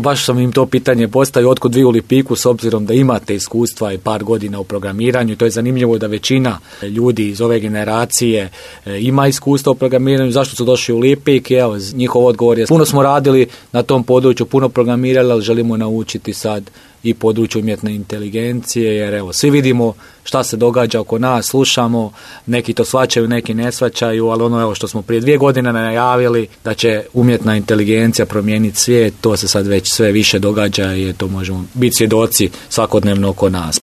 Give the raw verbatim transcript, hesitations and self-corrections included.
Baš sam im to pitanje postavio, otkud vi u Lipiku, s obzirom da imate iskustva i par godina u programiranju. To je zanimljivo da većina ljudi iz ove generacije ima iskustva u programiranju. Zašto su došli u Lipik? Evo, njihov odgovor je, puno smo radili na tom području, puno programirali, ali želimo naučiti sad i području umjetne inteligencije, jer evo, svi vidimo šta se događa oko nas, slušamo, neki to shvaćaju, neki ne shvaćaju, ali ono evo što smo prije dvije godine najavili da će umjetna inteligencija promijeniti svijet, to se sad već sve više događa i to možemo biti svjedoci svakodnevno oko nas.